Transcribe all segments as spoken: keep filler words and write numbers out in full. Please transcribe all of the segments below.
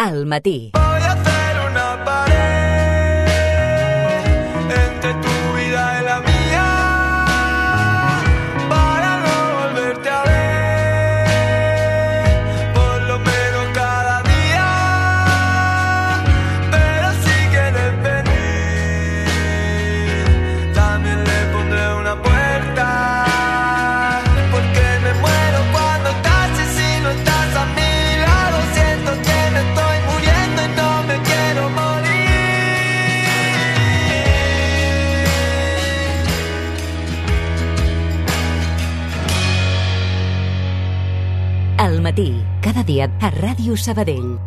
Al matí. Voy a hacer una pared entre tu vida y la mía para no volverte a ver, por lo menos cada día. Pero si quieres venir, también le pondré una puerta, porque me muero cuando estás y si no estás a mi lado. Siento que me estoy muriendo y no me quiero morir. Al matí, cada dia a Ràdio Sabadell.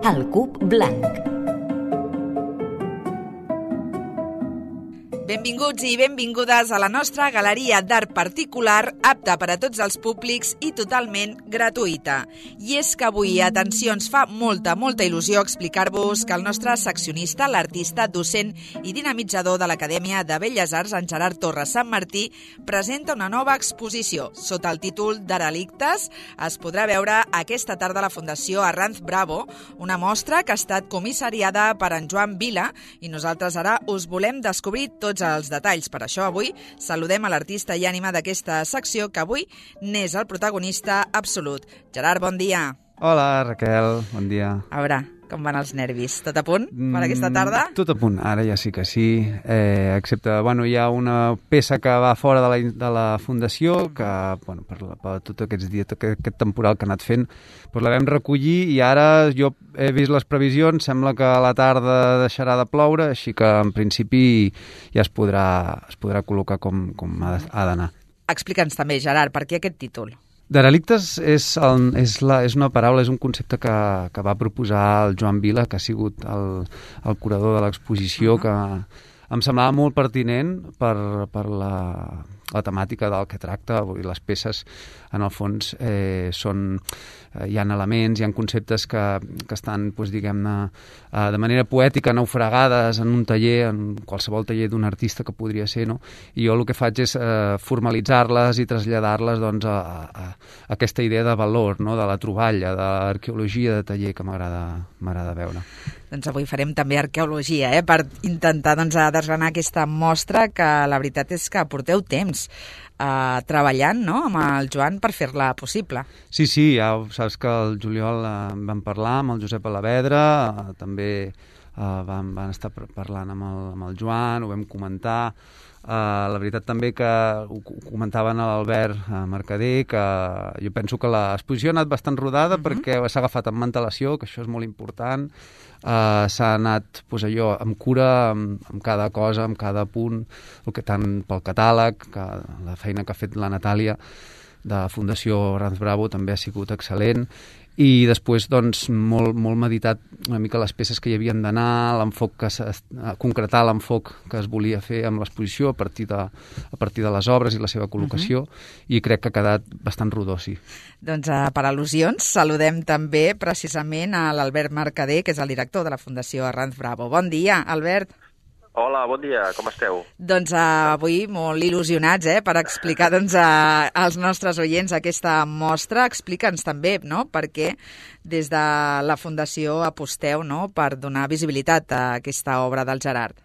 El cub blanc. Benvinguts i benvingudes a la nostra galeria d'art particular, apta per a tots els públics i totalment gratuïta. I és que avui, atenció, ens fa molta, molta il·lusió explicar-vos que el nostre seccionista, l'artista, docent i dinamitzador de l'Acadèmia de Belles Arts, en Gerard Torres Sant Martí, presenta una nova exposició. Sota el títol Derelictes es podrà veure aquesta tarda a la Fundació Arranz Bravo, una mostra que ha estat comissariada per en Joan Vila, i nosaltres ara us volem descobrir tots els detalls. Per això avui saludem a l'artista i ànima d'aquesta secció, que avui n'és el protagonista absolut. Gerard, bon dia. Hola, Raquel, bon dia. A veure, com van els nervis? Tot a punt per aquesta tarda? Mm, tot a punt, ara ja sí que sí. Eh, excepte, bueno, hi ha una peça que va fora de la, de la Fundació, que, bueno, per, la, per tots aquests dies, tot aquest temporal que ha anat fent, doncs la vam recollir i ara jo he vist les previsions, sembla que a la tarda deixarà de ploure, així que en principi ja es podrà, es podrà col·locar com, com ha d'anar. Explica'ns també, Gerard, per què aquest títol? Derelictes és, el, és, la, és una paraula, és un concepte que, que va proposar el Joan Vila, que ha sigut el, el curador de l'exposició, uh-huh. que em semblava molt pertinent per, per la, la temàtica del que tracta. Les peces, en el fons, eh, són, eh, hi ha elements, hi ha conceptes que, que estan, doncs, diguem-ne, eh, de manera poètica naufragades en un taller, en qualsevol taller d'un artista que podria ser, no? I jo el que faig és eh, formalitzar-les i traslladar-les, doncs, a, a, a aquesta idea de valor, no? De la troballa, de l'arqueologia de taller, que m'agrada m'agrada veure. Doncs avui farem també arqueologia, eh? Per intentar, doncs, desgranar aquesta mostra, que la veritat és que porteu temps eh, treballant, no?, amb el Joan per fer-la possible. Sí, sí, ja saps que el juliol eh, vam parlar amb el Josep Alavedra, eh, també eh, vam, van estar parlant amb el, amb el Joan, ho vam comentar. Uh, la veritat també que ho comentaven a l'Albert uh, Mercader, que jo penso que l'exposició ha anat bastant rodada, uh-huh. perquè s'ha agafat amb antelació, que això és molt important. Uh, s'ha anat, doncs, allò, amb cura, amb, amb cada cosa, amb cada punt, el que tant pel catàleg, que la feina que ha fet la Natàlia de Fundació Arranz Bravo també ha sigut excel·lent. I després, doncs, molt, molt meditat una mica les peces que hi havien d'anar, l'enfoc que concretar l'enfoc que es volia fer amb l'exposició a partir de, a partir de les obres i la seva col·locació, uh-huh. i crec que ha quedat bastant rodó, sí. Doncs uh, per al·lusions saludem també precisament a l'Albert Mercader, que és el director de la Fundació Arranz Bravo. Bon dia, Albert. Hola, bon dia, com esteu? Doncs uh, avui molt il·lusionats, eh, per explicar, doncs, uh, als nostres oients aquesta mostra. Explica'ns també, no?, perquè des de la Fundació aposteu, no?, per donar visibilitat a aquesta obra del Gerard.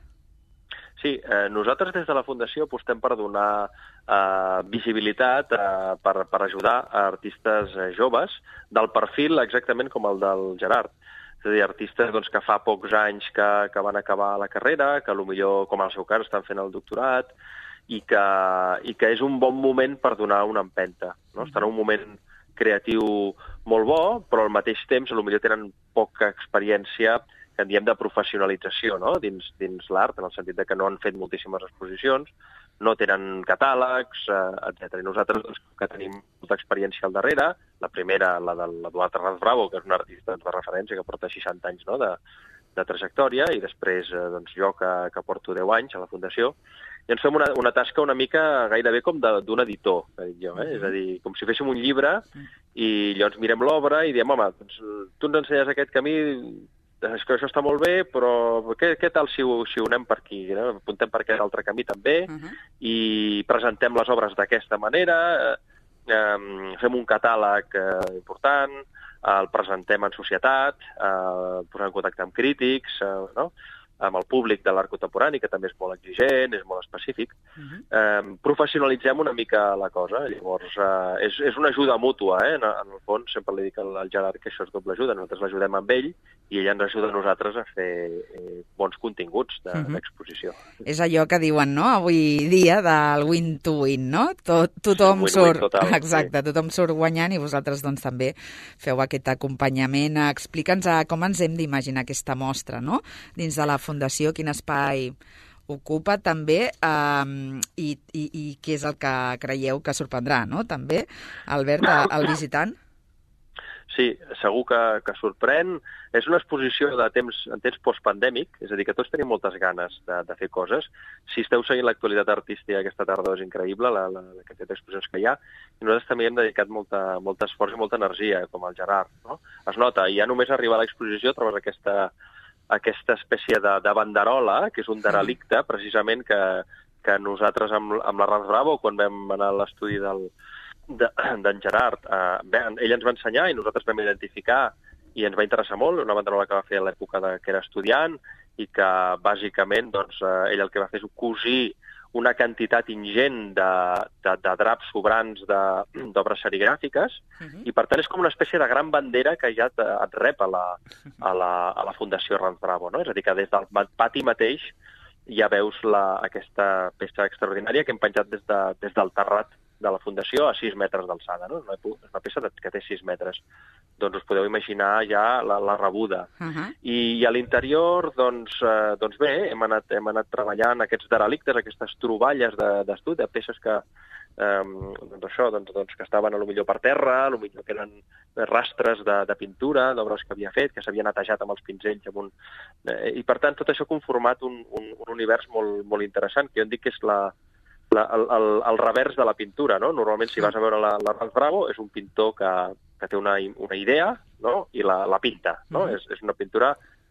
Sí, eh, nosaltres des de la Fundació apostem per donar eh, visibilitat, eh, per, per ajudar a artistes eh, joves del perfil exactament com el del Gerard. És a dir, artistes, doncs, que fa pocs anys que, que van acabar la carrera, que potser, com en el seu cas, estan fent el doctorat, i que, i que és un bon moment per donar una empenta, no? Estan en un moment creatiu molt bo, però al mateix temps potser tenen poca experiència, que en diem de professionalització, no?, dins, dins l'art, en el sentit de que no han fet moltíssimes exposicions, no tenen catàlegs, eh, etcètera. I nosaltres, doncs, que tenim molta experiència al darrere, la primera, la de l'Eduard Arranz Bravo, que és un artista de referència que porta seixanta anys, no?, de, de trajectòria, i després, eh, doncs, jo que, que porto deu anys a la Fundació, i ens fem una, una tasca una mica gairebé com d'un editor, que dic jo, eh? És a dir, com si féssim un llibre, i llavors mirem l'obra i diem, home, doncs, tu ens ensenyes aquest camí, és que això està molt bé, però què, què tal si ho, si ho anem per aquí? No? Apuntem per aquest altre camí també, uh-huh. i presentem les obres d'aquesta manera, eh, fem un catàleg eh, important, el presentem en societat, eh, posem en contacte amb crítics, eh, no? amb el públic de l'art contemporani, que també és molt exigent, és molt específic. Uh-huh. eh, professionalitzem una mica la cosa. Llavors, eh, és, és una ajuda mútua, eh? En, en el fons, sempre li dic al, al Gerard que això és doble ajuda. Nosaltres l'ajudem amb ell i ell ens ajuda a nosaltres a fer eh, bons continguts de, uh-huh. d'exposició. És allò que diuen, no?, avui dia del win to win, no? Tot, tothom sí, surt... Total, exacte, sí. Tothom surt guanyant i vosaltres doncs també feu aquest acompanyament. Explica'ns com ens hem d'imaginar aquesta mostra, no?, dins de la Fundació, quin espai ocupa també um, i, i, i què és el que creieu que sorprendrà, no?, també, Albert, el visitant? Sí, segur que, que sorprèn. És una exposició de temps, en temps postpandèmic, és a dir, que tots tenim moltes ganes de, de fer coses. Si esteu seguint l'actualitat artística aquesta tarda és increïble, la, la, la quantitat d'exposicions que hi ha, i nosaltres també hem dedicat molta, molt esforç i molta energia, com el Gerard, no? Es nota, i ja només arribar a l'exposició trobes aquesta, aquesta espècie de, de banderola, que és un derelicte, precisament, que, que nosaltres amb, amb la Rans Bravo, quan vam anar a l'estudi del d'en de, Gerard, eh, bé, ell ens va ensenyar i nosaltres vam identificar i ens va interessar molt, una banderola que va fer a l'època de, que era estudiant i que bàsicament doncs, eh, ell el que va fer és cosir una quantitat ingent de, de, de draps sobrants d'obres serigràfiques uh-huh. i per tant és com una espècie de gran bandera que ja et, et rep a la, a la, a la Fundació Rans Bravo, no? És a dir, que des del pati mateix ja veus la, aquesta peça extraordinària que hem penjat des, de, des del terrat de la Fundació a sis metres d'alçada, no? És una peça que té sis metres. Doncs us podeu imaginar ja la, la rebuda. Uh-huh. I, I a l'interior, doncs, eh, doncs bé, hem anat, hem anat treballant aquests derelictes, aquestes troballes d'estudi, de, de peces que, eh, doncs això, doncs, doncs, que estaven a lo millor per terra, a lo millor que eren rastres de, de pintura, d'obres que havia fet, que s'havia netejat amb els pinzells. Amb un, eh, I per tant, tot això ha conformat un, un, un univers molt, molt interessant, que jo en dic que és la, La, el, el, el revers de la pintura, no? Normalment, si vas a veure la, la Rans Bravo, és un pintor que, que té una, una idea, no? I la, la pinta, no? Mm-hmm. és, és una pintura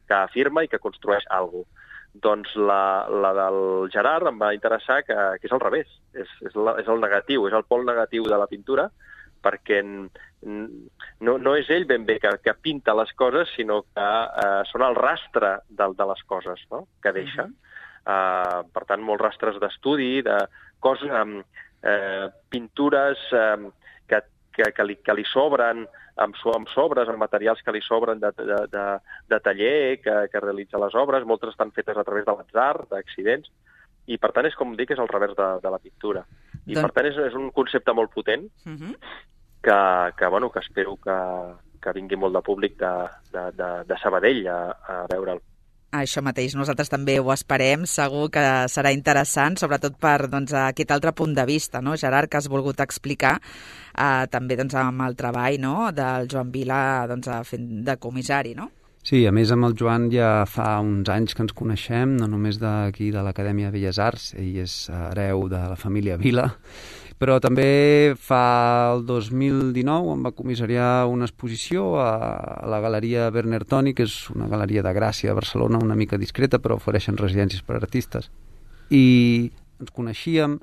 que afirma i que construeix alguna cosa. Doncs la, la del Gerard em va interessar que, que és al revés, és, és, la, és el negatiu, és el pol negatiu de la pintura, perquè no, no és ell ben bé que, que pinta les coses, sinó que eh, són el rastre de, de les coses, no? Que deixa. Mm-hmm. Uh, per tant, molts rastres d'estudi, de coses, um, eh, pintures um, que, que, que, li, que li sobren, amb, amb sobres, amb materials que li sobren de, de, de, de taller, que, que realitza les obres, moltes estan fetes a través de l'atzar, d'accidents, i per tant és com dic, és al revers de, de la pintura. I doncs... per tant és, és un concepte molt potent uh-huh. que, que, bueno, que espero que, que vingui molt de públic de, de, de, de Sabadell a, a veure'l. Això mateix, nosaltres també ho esperem, segur que serà interessant, sobretot per doncs, aquest altre punt de vista, no, Gerard, que has volgut explicar, eh, també doncs, amb el treball, no?, del Joan Vila doncs, fent de comissari, no? Sí, a més amb el Joan ja fa uns anys que ens coneixem, no només d'aquí de l'Acadèmia de Belles Arts, ell és hereu de la família Vila, però també fa el dos mil dinou em va comissariar una exposició a la Galeria Werner Toni, que és una galeria de Gràcia a Barcelona, una mica discreta, però ofereixen residències per a artistes. I ens coneixíem,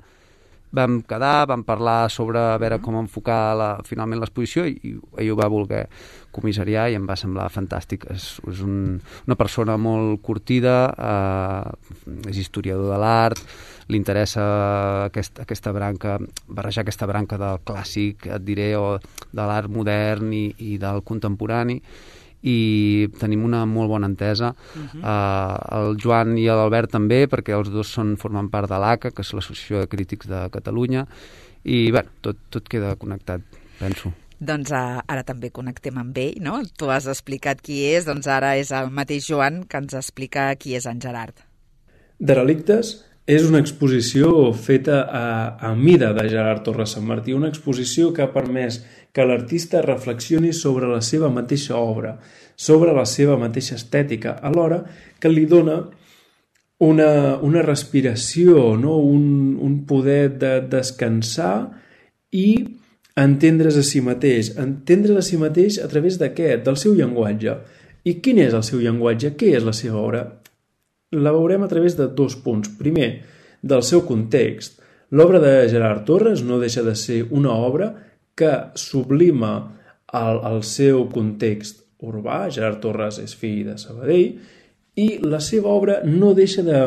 vam quedar, vam parlar sobre a veure com enfocar la, finalment l'exposició i, i ell ho va voler comissariar i em va semblar fantàstic. És, és un, una persona molt curtida, eh, és historiador de l'art, li interessa aquest, aquesta branca, barrejar aquesta branca del clàssic, et diré, o de l'art modern i, i del contemporani, i tenim una molt bona entesa. Uh-huh. uh, el Joan i l'Albert també, perquè els dos són, formen part de l'A C A, que és l'Associació de Crítics de Catalunya, i bé, tot, tot queda connectat, penso. Doncs uh, ara també connectem amb ell, no? Tu has explicat qui és, doncs ara és el mateix Joan que ens explica qui és en Gerard. Derelictes és una exposició feta a, a mida de Gerard Torres Sant Martí, una exposició que ha permès que l'artista reflexioni sobre la seva mateixa obra, sobre la seva mateixa estètica, alhora que li dona una, una respiració, no? un, un poder de descansar i entendre's a si mateix. Entendre's a si mateix a través de què? Del seu llenguatge. I quin és el seu llenguatge? Què és la seva obra? La veurem a través de dos punts. Primer, del seu context. L'obra de Gerard Torres no deixa de ser una obra que sublima el, el seu context urbà. Gerard Torres és fill de Sabadell i la seva obra no deixa de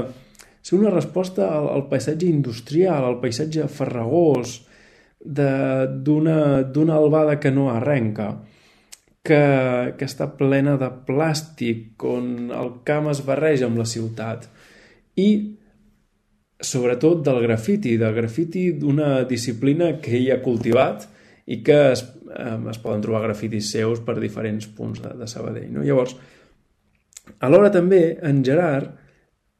ser una resposta al, al paisatge industrial, al paisatge farragós d'una albada que no arrenca, que, que està plena de plàstic, on el camp es barreja amb la ciutat, i sobretot del grafiti, del grafiti d'una disciplina que ell ha cultivat i que es, eh, es poden trobar grafitis seus per diferents punts de, de Sabadell, no? Llavors, alhora també en Gerard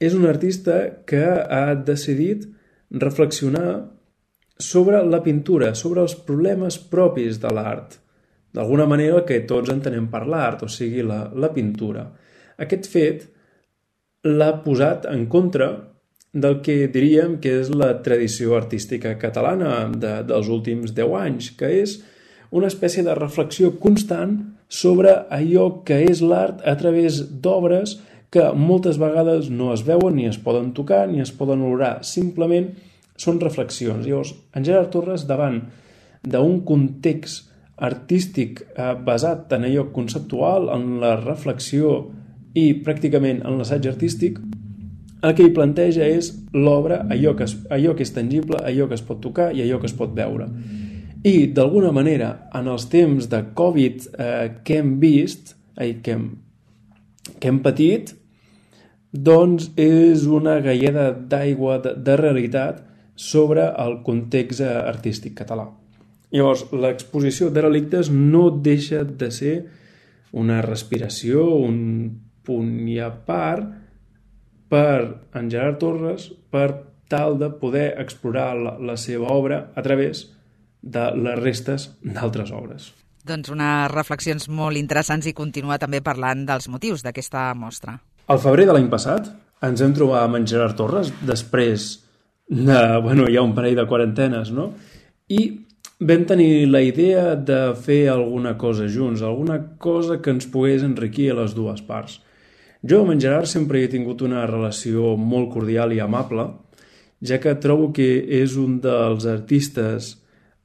és un artista que ha decidit reflexionar sobre la pintura, sobre els problemes propis de l'art, d'alguna manera que tots entenem per l'art, o sigui, la, la pintura. Aquest fet l'ha posat en contra del que diríem que és la tradició artística catalana de, dels últims deu anys, que és una espècie de reflexió constant sobre allò que és l'art a través d'obres que moltes vegades no es veuen, ni es poden tocar, ni es poden olorar. Simplement són reflexions. Llavors, en Gerard Torres, davant d'un context artístic eh, basat en allò conceptual, en la reflexió i pràcticament en l'assaig artístic, el que hi planteja és l'obra, allò, que es, allò que és tangible, allò que es pot tocar i allò que es pot veure. I, d'alguna manera, en els temps de Covid eh, que hem vist, eh, que, hem, que hem patit, doncs és una galleda d'aigua de, de realitat sobre el context artístic català. Llavors, l'exposició de relictes no deixa de ser una respiració, un punt i a part per en Gerard Torres per tal de poder explorar la, la seva obra a través de les restes d'altres obres. Doncs unes reflexions molt interessants i continua també parlant dels motius d'aquesta mostra. Al febrer de l'any passat ens hem trobat amb en Gerard Torres després de, bueno, ja un parell de quarantenes, no? I vam tenir la idea de fer alguna cosa junts, alguna cosa que ens pogués enriquir a les dues parts. Jo amb en Gerard sempre he tingut una relació molt cordial i amable, ja que trobo que és un dels artistes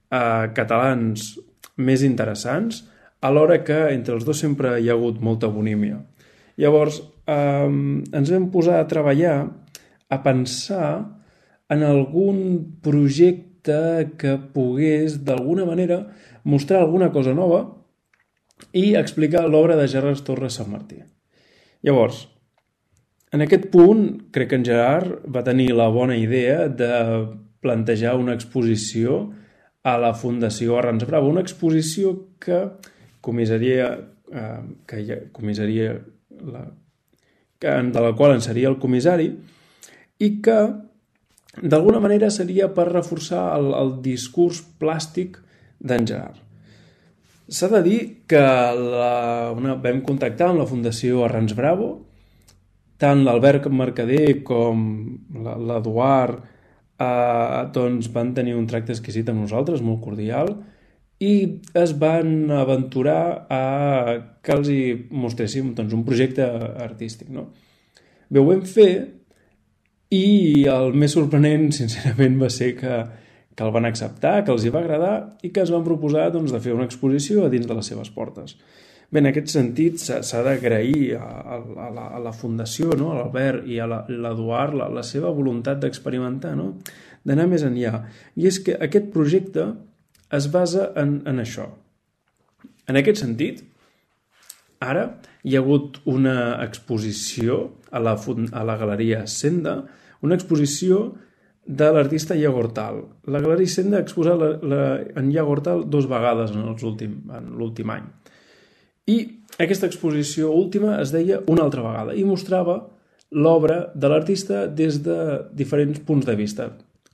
eh, catalans més interessants, alhora que entre els dos sempre hi ha hagut molta bonímia. Llavors, eh, ens vam posar a treballar, a pensar en algun projecte que pogués, d'alguna manera, mostrar alguna cosa nova i explicar l'obra de Gerard Torres Sant Martí. Llavors, en aquest punt, crec que en Gerard va tenir la bona idea de plantejar una exposició a la Fundació Arrans Bravo, una exposició que comissaria, eh, que ja, comissaria la, que, de la qual en seria el comissari, i que d'alguna manera seria per reforçar el, el discurs plàstic d'en Gerard. S'ha de dir que la, una, vam contactar amb la Fundació Arrans Bravo, tant l'Albert Mercader com l'Eduard eh, doncs van tenir un tracte exquisit amb nosaltres, molt cordial, i es van aventurar a que els hi mostréssim doncs, un projecte artístic. No? Bé, ho vam fer i el més sorprenent, sincerament, va ser que que el van acceptar, que els hi va agradar i que es van proposar doncs, de fer una exposició a dins de les seves portes. Bé, en aquest sentit s'ha d'agrair a, a, la, a la Fundació, no? A l'Albert i a l'Eduard, la, la seva voluntat d'experimentar, no? D'anar més enllà. I és que aquest projecte es basa en, en això. En aquest sentit, ara hi ha hagut una exposició a la, a la Galeria Senda, una exposició de l'artista Iago Hortal. La Galeria Senda ha exposat la, la, en Iago Hortal dos vegades en l'últim any. I aquesta exposició última es deia Una altra vegada i mostrava l'obra de l'artista des de diferents punts de vista.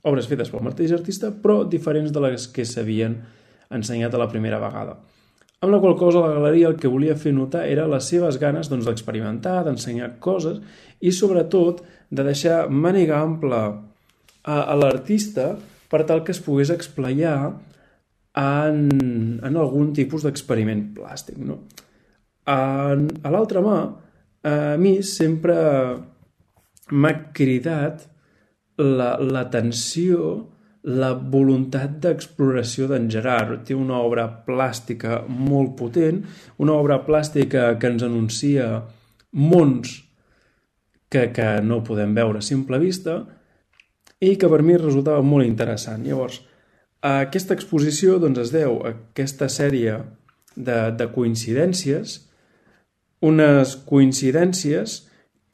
Obres fetes pel mateix artista, però diferents de les que s'havien ensenyat a la primera vegada. Amb la qual cosa la galeria el que volia fer notar era les seves ganes doncs, d'experimentar, d'ensenyar coses i sobretot de deixar màniga ampla a, a l'artista per tal que es pogués explayar en, en algun tipus d'experiment plàstic. No? A, a l'altra mà, a mi sempre m'ha cridat l'atenció la voluntat d'exploració d'en Gerard. Té una obra plàstica molt potent, una obra plàstica que ens anuncia mons que, que no podem veure a simple vista i que per mi resultava molt interessant. Llavors, aquesta exposició doncs, es deu a aquesta sèrie de, de coincidències, unes coincidències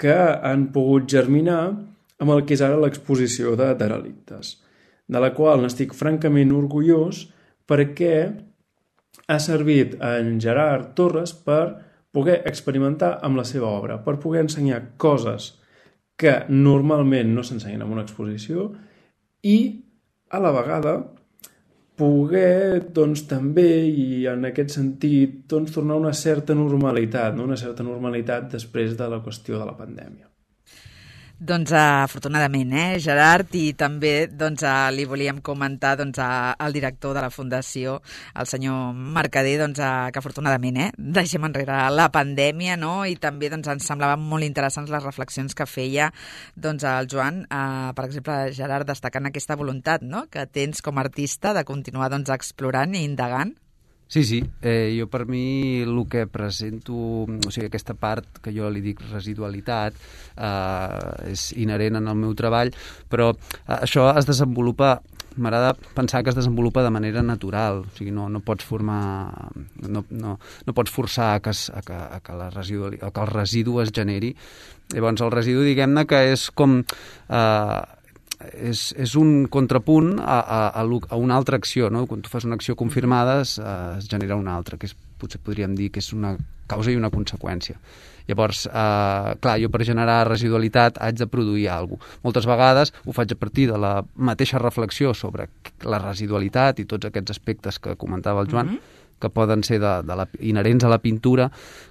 que han pogut germinar amb el que és ara l'exposició de Derelictes, de la qual n'estic francament orgullós perquè ha servit a en Gerard Torres per poder experimentar amb la seva obra, per poder ensenyar coses que normalment no s'ensenyen en una exposició i, a la vegada, poder, doncs, també, i en aquest sentit, doncs, tornar a una certa normalitat, no? Una certa normalitat després de la qüestió de la pandèmia. Doncs afortunadament, eh, Gerard, i també doncs, li volíem comentar doncs, al director de la Fundació, el senyor Mercader, doncs, que afortunadament eh, deixem enrere la pandèmia, no? I també doncs, ens semblaven molt interessants les reflexions que feia doncs, el Joan, eh, per exemple, Gerard, destacant aquesta voluntat no? que tens com a artista de continuar doncs, explorant i indagant. Sí, sí. Eh, jo per mi el que presento, o sigui, aquesta part que jo li dic residualitat, eh, és inherent en el meu treball, però eh, això es desenvolupa, m'agrada pensar que es desenvolupa de manera natural, o sigui, no, no pots formar, no, no, no pots forçar a que, es, a que, a que, la residu, a que el residu es generi. Llavors el residu, diguem-ne, que és com... Eh, És, és un contrapunt a, a, a una altra acció, no? Quan tu fas una acció confirmada es, es genera una altra, que és, potser podríem dir que és una causa i una conseqüència. Llavors, eh, clar, jo per generar residualitat haig de produir alguna cosa. Moltes vegades ho faig a partir de la mateixa reflexió sobre la residualitat i tots aquests aspectes que comentava el Joan, mm-hmm. que poden ser de, de la, inherents a la pintura,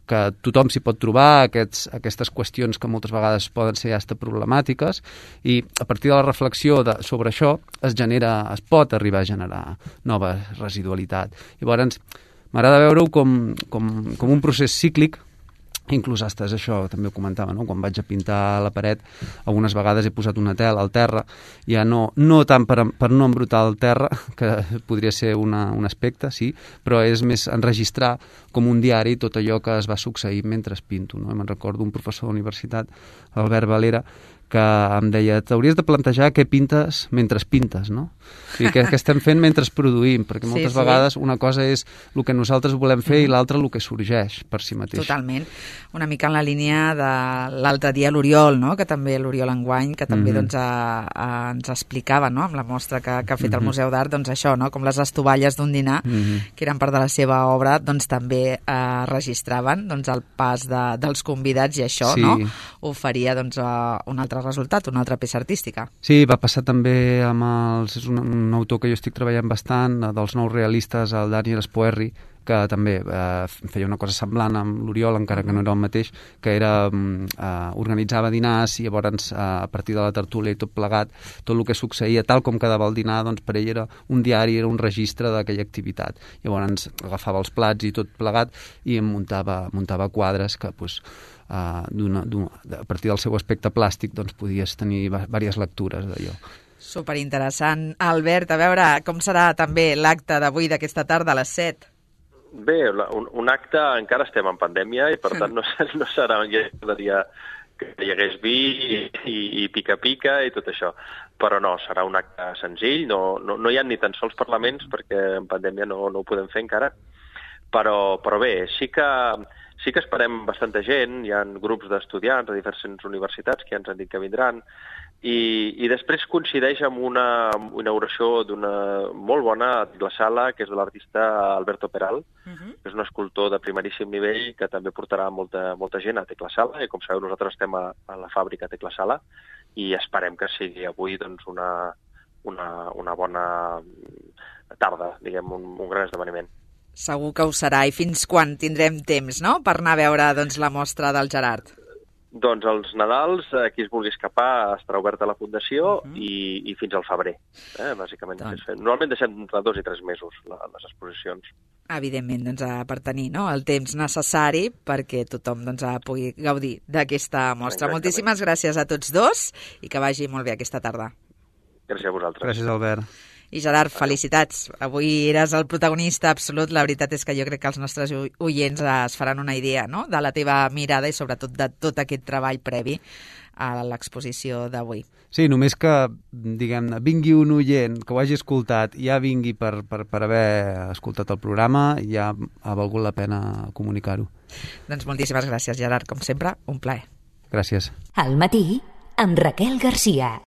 que tothom s'hi pot trobar, aquests, aquestes qüestions que moltes vegades poden ser hasta problemàtiques, i a partir de la reflexió de, sobre això es genera, es pot arribar a generar nova residualitat. Llavors, m'agrada veure-ho com, com, com un procés cíclic. Inclús hasta això també ho comentava, no? Quan vaig a pintar la paret, algunes vegades he posat una tela al terra, ja no, no tant per, per no embrutar el terra, que podria ser una, un aspecte, sí, però és més enregistrar com un diari tot allò que es va succeir mentre pinto, no? Me'n recordo un professor d'universitat, Albert Valera, que em deia, t'hauries de plantejar què pintes mentre pintes, no? O sigui, què, què estem fent mentre produïm, perquè moltes sí, sí. vegades una cosa és el que nosaltres volem fer mm. i l'altra el que sorgeix per si mateix. Totalment. Una mica en la línia de l'altre dia l'Oriol, no? Que també l'Oriol Enguany, que també mm-hmm. doncs, a, a, ens explicava, no? Amb la mostra que, que ha fet mm-hmm. el Museu d'Art, doncs això, no? Com les estovalles d'un dinar, mm-hmm. que eren part de la seva obra, doncs també eh, registraven doncs, el pas de, dels convidats i això, sí. no? Oferia doncs, un altre resultat, una altra peça artística. Sí, va passar també amb els... És un, un autor que jo estic treballant bastant, dels nous realistes, el Daniel Spoerri, que també eh, feia una cosa semblant amb l'Oriol, encara que no era el mateix, que era eh, organitzava dinars i llavors eh, a partir de la tertúlia i tot plegat, tot el que succeïa, tal com quedava el dinar, doncs per ell era un diari, era un registre d'aquella activitat. Llavors agafava els plats i tot plegat i em muntava, muntava quadres que pues, Uh, d'una, d'una, a partir del seu aspecte plàstic doncs podies tenir diverses lectures d'allò. Superinteressant. Albert, a veure, com serà també l'acte d'avui d'aquesta tarda a les set? Bé, un, un acte, encara estem en pandèmia i per tant no, no serà un dia que hi hagués vi i, i, i pica-pica i tot això. Però no, serà un acte senzill, no, no, no hi ha ni tan sols parlaments perquè en pandèmia no, no ho podem fer encara, però, però bé, sí que Sí que esperem bastanta gent, hi ha grups d'estudiants de diverses universitats que ja ens han dit que vindran, i, i després coincideix amb una inauguració d'una molt bona glaçala, que és de l'artista Alberto Peral, uh-huh. que és un escultor de primeríssim nivell que també portarà molta, molta gent a Teclasala, i com sabeu nosaltres estem a, a la fàbrica Teclasala, i esperem que sigui avui doncs, una, una, una bona tarda, diguem, un, un gran esdeveniment. Segur que ho serà. I fins quan tindrem temps, no?, per anar a veure doncs, la mostra del Gerard? Doncs els Nadals, a qui es vulgui escapar, estarà oberta a la Fundació uh-huh. i, i fins al febrer. Eh? Bàsicament, doncs. Normalment deixem entre dos i tres mesos la, les exposicions. Evidentment, doncs, per tenir no, el temps necessari perquè tothom doncs, pugui gaudir d'aquesta mostra. Exactament. Moltíssimes gràcies a tots dos i que vagi molt bé aquesta tarda. Gràcies a vosaltres. Gràcies, Albert. I Gerard, felicitats. Avui eres el protagonista absolut. La veritat és que jo crec que els nostres oients es faran una idea, no?, de la teva mirada i sobretot de tot aquest treball previ a l'exposició d'avui. Sí, només que, diguem-ne, vingui un oient que ho hagi escoltat i ja vingui per, per, per haver escoltat el programa, ja ha valgut la pena comunicar-ho. Doncs moltíssimes gràcies, Gerard. Com sempre, un plaer. Gràcies. Al matí, amb Raquel Garcia.